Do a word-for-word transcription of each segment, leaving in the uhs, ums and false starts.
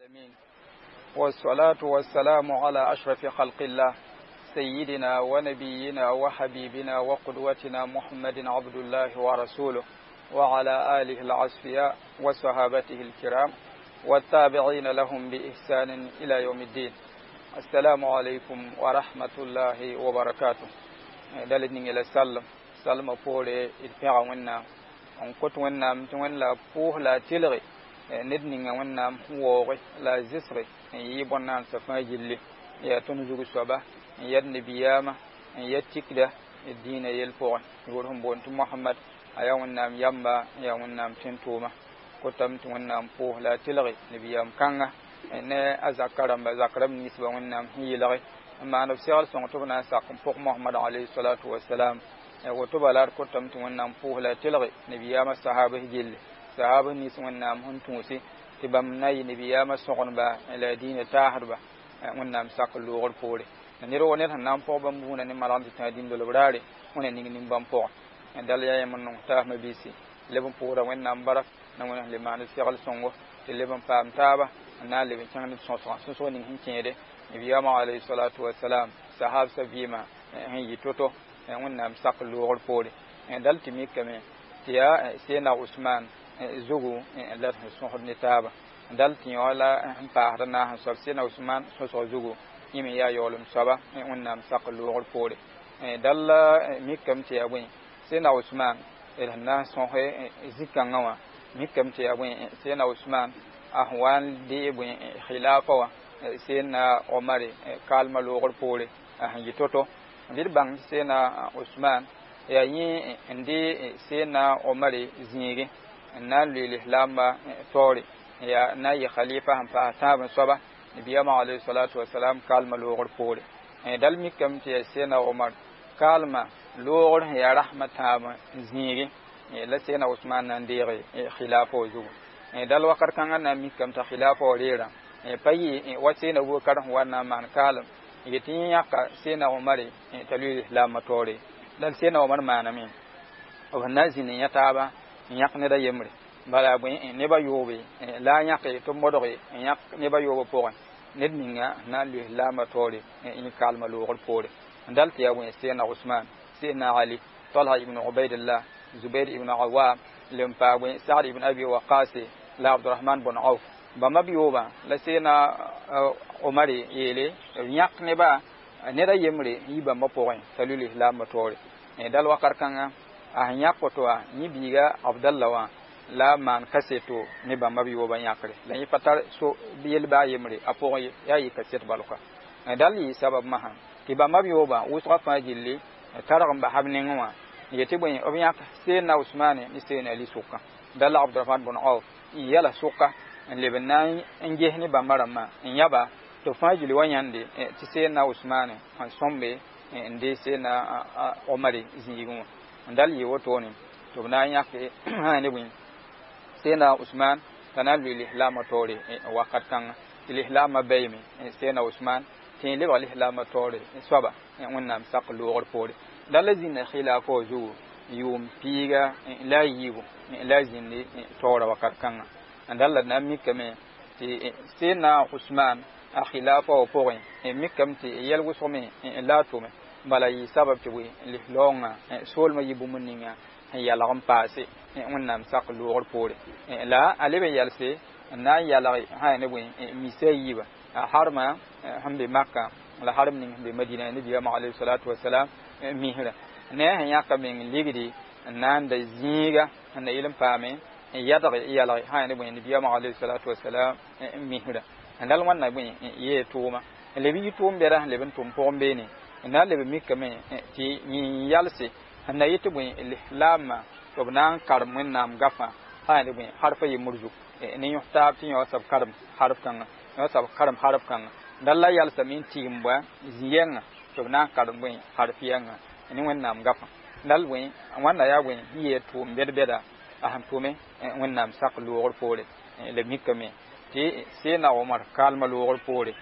العالمين والصلاة والسلام على أشرف خلق الله سيدنا ونبينا وحبيبنا وقدوتنا محمد عبد الله ورسوله وعلى آله العصفياء وصحابته الكرام والتابعين لهم بإحسان إلى يوم الدين. السلام عليكم ورحمة الله وبركاته. دلت نيجي سلم سلم بوري إتبع ونا n kot Wẽnnaam tɩ Wẽnd la a pʋʋs la a tɩlge ned ninga Wẽnnaam sẽn waooge la a zɩsge n yɩ bõn-naansã fãa gilli, yaa tõnd zug soaba n yɛd nabiyaamã n yɛd tikda d dĩinã yell pʋgẽ, yʋʋr sẽn boond tɩ Mohamad, a yaa Wẽnnaam yamba n yaa Wẽnnaam tẽn-tʋʋma. Kotame tɩ Wẽnnaam pʋʋs la a tɩlge nabiyaam kãnga ne a zakã rãmba, zak rãmb ninsbã Wẽnnaam sẽn yɩlge n maan b segl sõng tɩ b na n sak n pʋg Mohamad alayhi salatu wasalam. Woto bala d kotame tɩ Wẽnnaam pʋʋs la a tɩlge nabiyaamã sahabs gilli, sahabs nins Wẽnnaam sẽn tũusi tɩ bãmb na yɩ nabiyaamã sõgenba la a dĩinã taasdba Wẽnnaam sak loogr poore. Ned wa ned sẽn na n pʋg bãmb buudã ne malgd tɩ tã dĩndolb raare, wẽna ning nin-bãmb pʋgẽ. Dal yaa yãmb n nong taasmã biisi leb n pʋʋsda Wẽnnaam bark na Wẽnd sẽn le maan d segl sõngo tɩ leb n paam taaba n na n leb n kẽng ned sõsgã sõsg ning sẽn kẽede nabiyaamã alayhi salatu wasalam sahabsã vɩɩmã sẽn yɩ to-to Wẽnnaam sak loogr poore. Dal tɩ mikame tɩ yaa Sena Usman zugu la d sẽn sõsd ne taaba, dal tɩ yõ la sẽn paasd n naas n soab Sena Usman sõsg zugu, yẽ me yaa yaoolem soaba Wẽnnaam sak loogr poore. Dal mikame tɩ yaa bõe, Sena Usman d sẽn na n sõs zĩ-kãngã wã, mikame tɩ yaa bõe, Sena Usman a sẽn wa n dee bõe khilafa wã Sena Omar kaalmã loogr poore a sẽn yɩ to-to. Bɩ d bãng tɩ Sena Usman yaa yẽ n de Sena Omar zĩigẽ n na n loe lislaambã taoore, yaa n na n yɩ khalifa sẽn paas tãab n soaba nabiyaamã alayhi salatu wasalam kaalmã loogr poore. Dal mikame tɩ yaa Sena Omar kaalmã loogr sẽn yaa rasmã tãab zĩigẽ la Sena Usman na n deege khilafa wã zugu. Dal wakat kãngã na n mikame t'a khilafa wã reerã pa yɩ wa Sena Abubakar sẽn wa n na n maan kaalem yetɩ yẽ yãka Sena Omar t'a loe lislaambã taoore. Dal Sena Omar maaname b sẽn na n zĩnd n yã taaba n yãk ned a yembre, bala bõe neb a yoobe la a yãke tɩ b modge n yãk neb a yoobã pʋgẽ ned ninga sẽn na n loe lislaambã taoore yẽ kaalmã loogr poore. Dal tɩ yaa bõe, Sena Usman, Sena Ali, Talha ibn Ubaidillah, Zubair ibn Awam, le n paa bõe Saad ibn Abi Waqase la Abdurahman bn Auf. Bãmba b yoobã la Sena Omar yeele b yãk nebã ned a yembre n yi bãmba pʋgẽ t'a loe lislaambã taoore. Dal wakat kãngã a sẽn yãk woto wã, yẽ biiga Abdalla wã la maan kaseto ne bãmba b yoobã yãkre, la yẽ pa tar so yel baa yembre a pʋgẽ ye, yaa yɩ kaset balka. Dal yɩ sabab masã tɩ bãmba b yoobã wʋsgã fãa gilli targ n basa b nengẽ wã yetɩ bõe, b yãk Sena Usmane ne Sena Ali sʋka. Dal Abdurahman bn Auf n yɛla sʋka n leb n na n ges ne bãmba rãmbã n yãba tɩ fãa gilli wa yãnde tɩ Sena Usmane n sõmbe n de Sena Omar zĩigẽ wã. Dal yɩ wotone tɩ b na n yãke ne bõe, Sena Usman t'a na n loe lislaambã taoore wakat kãnga, tɩ lislaambã baoome Sena Usman tɩ yẽ lebg lislaambã taoore soaba Wẽnnaam sak loogr poore. Dal la zĩnda khilafa wã zugu yʋʋm piiga la a yiibu la a zĩndi taoorã wakat kãnga. Dal la d na n mikame tɩ Sena Usman a khilafa wã pʋgẽ, mikame tɩ yɛl wʋsg me la a tʋme, bala yɩ sabab tɩ bõe, lislaoongã soolmã yɩ bũmb ninga sẽn yalg n paase Wẽnnaam sak loogr poore. La a leb n yalse n na n yalg sã ne bõe, misa a yiibã, a harmã sẽn be Maka la harm ning sẽn be Madina nabiyaamã alayhi salatu wasalam misrã ne a sẽn yãka meng ligdi n na n da zĩiga sẽn na yɩl n paame n yadg yalg sã ne bõe nabiyaamã alayhi salatu wasalam misrã. Dal wãnna bõe yee tʋʋma n leb yɩ tʋʋm bɛda sẽn leb n tʋm pʋgẽ beene n na n leb mikame tɩ yẽ yalse sẽn na yɩ tɩ bõe lislaambã tɩ b na n karem Wẽnnaam gafã sã ne bõe harfa yembr zug ne yõs taab tɩ yõ sab karem harf kãnga, yõ sab karem harf kãnga. Dal la yalsame n tigim bõa zĩ-yɛngã tɩ b na n karem bõe harf yɛngã ne Wẽnnaam gafã. Dal bõe wãnna yaa bõe n yee tʋʋm bɛd-bɛda a sẽn tʋme Wẽnnaam sak loogr poore. La mikame tɩ Sena Omar kaalmã loogr poore,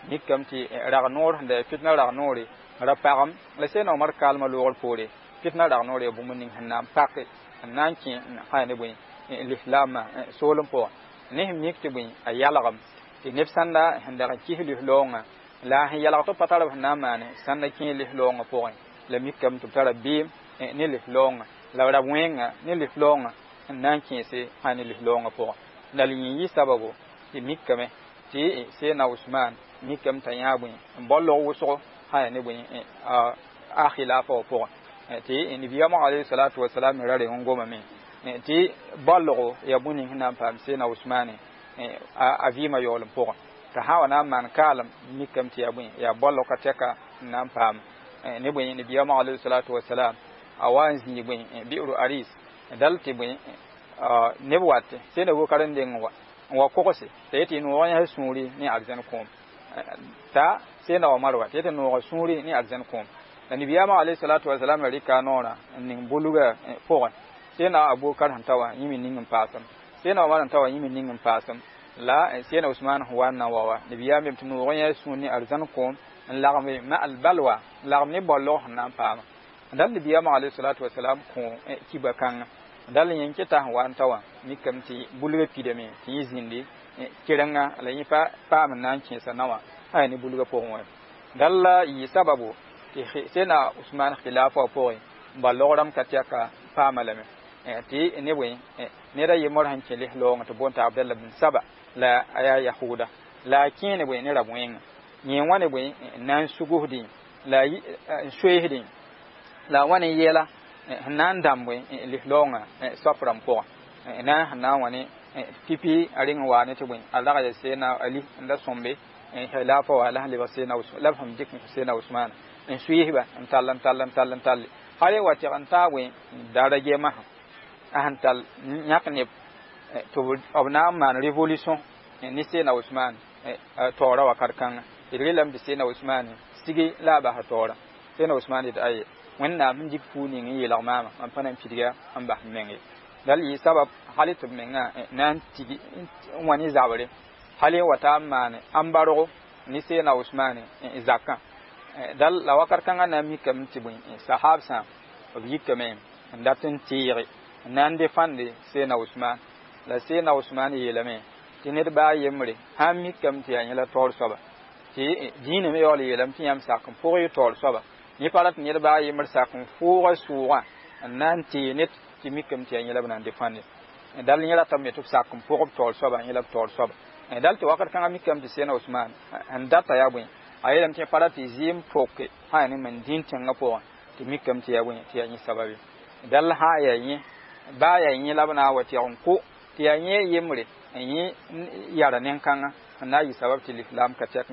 mikame tɩ rag noor sẽn da fitna rag noore ra pagem la Sena Omar kaalmã loogr poore fitna rag noor yaa bũmb ning sẽn na n pake n na n kẽ sã ne bõe lislaambã soolem pʋgẽ ne sẽn mik tɩ bõe a yalgem Tɩ neb sãnda sẽn dag n kis lislaoongã la sẽn yalg tɩ b pa tar b sẽn na n maane sãnda kẽ lislaoongã pʋgẽ la mikame tɩ b tara beem ne lislaoongã la b ra wẽnga ne lislaoongã n na n kẽese sã ne lislaoongã pʋgẽ la yẽ yɩ sababu tɩ mikame tɩ Seydina Usman mikame t'a yãa bõe n bao log wʋsgo sã yaa ne bõe a khilafa wã pʋgẽ tɩ nabiyaamã alayhi salatu wasalam me ra reng n gomame tɩ balgo yaa bũmb ning sẽn na n paam Seydina Usmane a vɩɩmã yaool n pʋgẽ t'a sã wa na n maan kaalem mikame tɩ yaa bõe yaa balg ka tɛka n na n paam ne bõe nabiyaamã alayhi salatu wasalam a wa n zĩig bõe bi'ru aris dal tɩ bõe neb wat Seydina Abubakar n deng wa n wa kogse t'a yetɩ noog yãs sũuri ne arzɛn kõom t'a Seydina Omar wa t'a yetɩ nooga sũuri ne arzɛn kõom la nabiyaamã alayhi salatu wasalam la rɩka a noorã n ning bulgã pʋgẽ Seydina Abubakar sẽn ta wã yẽ me ning n paasem Seydina Omar sẽn ta wã yẽ me ning n paasem la Seydina Usman sẽn wa n na n wa wa nabiyaam yem tɩ noog yãs sũur ne arzãn kõom n lagme ma albalwa n lagm ne baolg sẽn na n paama dal nabiyaamã alayhi salatu wasalam kõ kiba kãnga dal yẽ keta sẽn wa n ta wã mikame tɩ bulgã pidame tɩ yẽ zĩndi kerenga la yẽ pa paam n na n kẽesa naowã sã yaa ne bulgã pʋgẽ wã dal la yɩ sababu tɩ Seydina Usman khilafa wã pʋgẽ balg rãmb ka tɛka paama lame tɩ ne bõe ned a yembr sẽn kẽ lislaoongã tɩ boond t'a Abdallah bin Saba la a yaa yahuda la a kẽe ne bõe ne rab-wẽnga yẽ wã ne bõe n na n sugusdẽ la n soeesdẽ la a wã ne yɛla sẽn na n dãmb lislaoongã soap rãmb pʋgẽ na sẽn na n wa ne pipi a reng n waa ne tɩ bõe a rag ya Seydina Ali n da sõmbe khilafa wã la sẽn lebg Seydina la b sẽn dɩk Seydina Usman n suiisba n tall n tall n tall n talle hal wa tɩg n taa bõe daraja masã a sẽn tall yãk neb tɩ b na n maan révolution ne Seydina Usman taoorã wakat kãnga d relame tɩ Seydina Usman sigi la a basa taoorã Seydina Usman yetɩ aye Wẽnnaam sẽn dɩk fuu ning n yeelg maama mam pa na n pidga n bas m meng ye dal yɩ sabab hal tɩ b mengã na n tigi n wa ne zabre hal n wa taa n maane ãmbargo ne Seydina Usmane zakã dal la wakat kãngã na n mikame tɩ bõe sahabsã b yikame n dat n teege n na n defãnde Seydina Usman la Seydina Usman yeelame tɩ ned baa yembre sã n mikame tɩ yaa yẽ la taoor soaba tɩ dĩinã me yaool yeelame tɩ yãmb sak n pʋg y taoor soaba yẽ pa rat ned baa yembr sak n fʋʋga sʋʋgã n na n tee ned tɩ mikame tɩ yaa yẽ la b na n defãnde dal yẽ ratame tɩ b sak n pʋg b taoor soaba yẽ la b taoor soaba dal tɩ wakat kãngã mikame tɩ Seydina Usman sẽn data yaa bõe a yeelame tɩ pa rat tɩ zɩɩm poke sã yaa ne man dĩin tẽngã pʋgẽ tɩ mikame tɩ yaa bõe tɩ yaa yẽ sababe dal sã yaa yẽ baa yaa yẽ la b na n wa tɩg n kʋ tɩ yaa yẽ yembre n yẽ yara nen-kãngã n na n yɩ sabab tɩ lislaam ka tɛk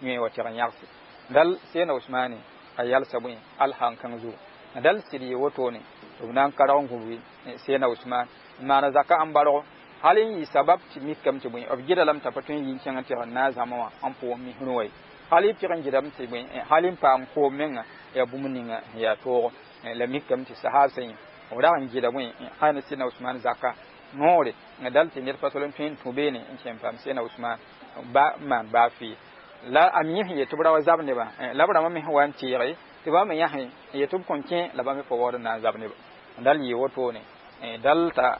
yẽ wa tɩg n yãgse dal Seydina Usmane a yalsa bõe alhan-kãng zugu dal sɩd yɩ wotone tɩ b na n karg n gũbgi Seydina Usman n maana zaka ãmbargo hal n yɩ sabab tɩ mikame tɩ bõe b gɩda lame t'a pa tõe n yɩ n kẽng n tɩg n na n zãma wã n pʋʋs misrẽ wa ye hal y tɩg n gɩdame tɩ bõe hal n paam koom menga yaa bũmb ninga sẽn yaa toogo la mikame tɩ sahabsã yẽ b rag n gɩda bõe sã ne Seydina Usman zaka noore dal tɩ ned pa tol n tõe n tũ beene n kẽ n paam Seydina Usman ba n maan baa fɩɩ la a mi sẽn yet tɩ b ra wa zab nebã la b rãmbã me sẽn wa n teege tɩ bãmb me yãsẽ n yet tɩ b kõn kẽ la bãmb me pa waood n na n zab nebã dal yɩ wotone dal t'a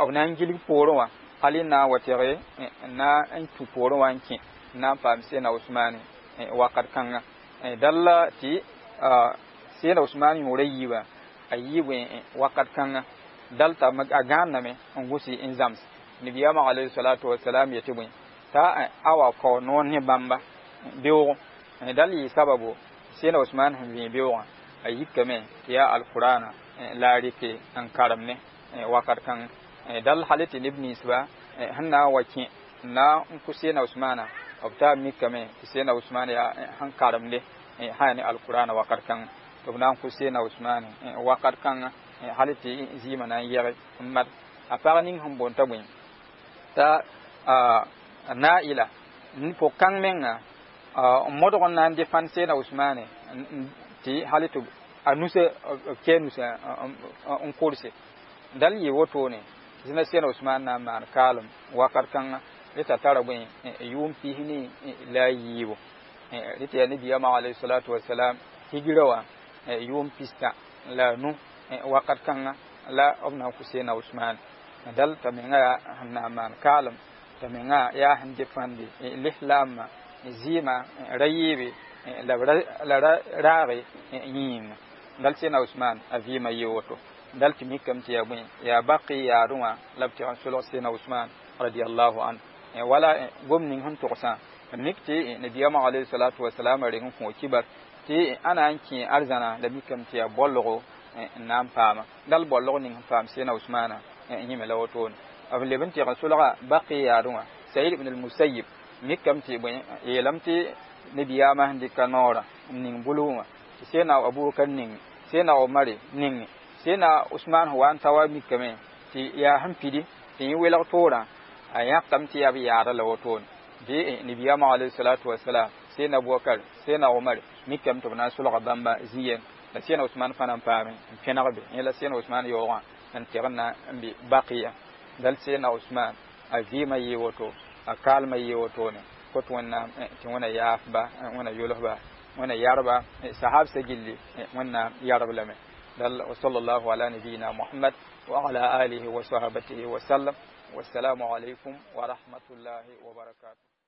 b na n gilg poorẽ wã hal n na n wa tɩge n na n tũ poorẽ wã n kẽ n na n paam Seydina Usmane wakat kãnga dal tɩ Seydina Usman yõora yiibã a yɩ bõe wakat kãnga dal t'a a gãaname n gʋsi n zãms nabiyaamã alayhi salatu wasalam yetɩ bõe t'a a wa kao noor ne bãmba beoogo dal yɩ sababu Seydina Usman sẽn vẽe beoogã a yikame tɩ yaa alqurana la a rɩke n karem ne wakat kãng dal hal tɩ neb ninsba sẽn na n wa kẽ n na n kʋ Seydina Usmana b taa mikame tɩ Seydina Usman yaa sẽn karemde sã yaa ne alqurana wakat kãng tɩ b na n kʋ Seydina Usmane wakat kãnga hal tɩ zɩɩmã na n yɛge n mad a pag ning sẽn boond t'a bõe t'a Naila pʋg-kãng menga n modg n na n defãnd Seydina Usmane tɩ hal tɩ a nusa b kɛɛ nusa n korse dal yɩ wotone zĩna Seydina Usman na n maan kaalem wakat kãnga reta tara bõe yʋʋm pis ne la a yiibu reta yaa nabiyaamã alayhi salatu wasalam higira wã yʋʋm pistã la a nu wakat kãnga la b na n kʋ Seydina Usman dal t'a menga yaa sẽn na n maan kaalem T'a menga yaa sẽn defãnde lislaambã zɩɩmã ra yɩɩbe la la ra raage yĩnga. Dal Sẽdna Usman a vɩɩmã yɩ woto. Dal tɩ mikame tɩ yaa bõe, yaa Baqi yaadẽ wã la b tɩg n solg Sẽdna Usman radiallahu anhu. Wala gom ning sẽn togsã, mik tɩ nabiyaamã alayhi salatu wasalam reng n kõ kibar tɩ a na n kẽ arzãna, la mikame tɩ yaa bolgo n na n paama. Dal bolg ning sẽn paam Sẽdna Usmana yẽme la wotone. B leb n tɩg n solga Baqi yaadẽ wã Said ibn al-Musayyib, mikame tɩ bõe, yeelame tɩ nabiyaamã sẽn dɩka noorã n ning bulg wã tɩ Sẽdna Abubakar ning, Sẽdna Omar ning, Sẽdna Usman sẽn wa n ta wa mikame tɩ yaa sẽn pidi tɩ yẽ welg toorã, a yãkame tɩ yaa b yaada la wotone. Dẽ nabiyaamã alayhi salatu wasalam, Sẽdna Abubakar, Sẽdna Omar mikame tɩ b na n solga bãmba zĩ-yeng, la Sẽdna Usman fãa na n paame n pẽneg be. Yẽ la Sẽdna Usman yaoogã n tɩg n na n bɩ Baqiya. Dal Sẽdna Usman a vɩɩmã yɩ woto, a kaalmã yɩ wotone. Kot Wẽnnaam tɩ Wẽna yaafba, Wẽna yolsba, Wẽna yarba sahabsã gilli, Wẽnnaam yarb lame. Dal wa sallallahu ala nabiyina Muhammad wa ala alihi wa sahabatihi wa sallam. Wassalamu alaykum wa rahmatullahi wa barakatuh.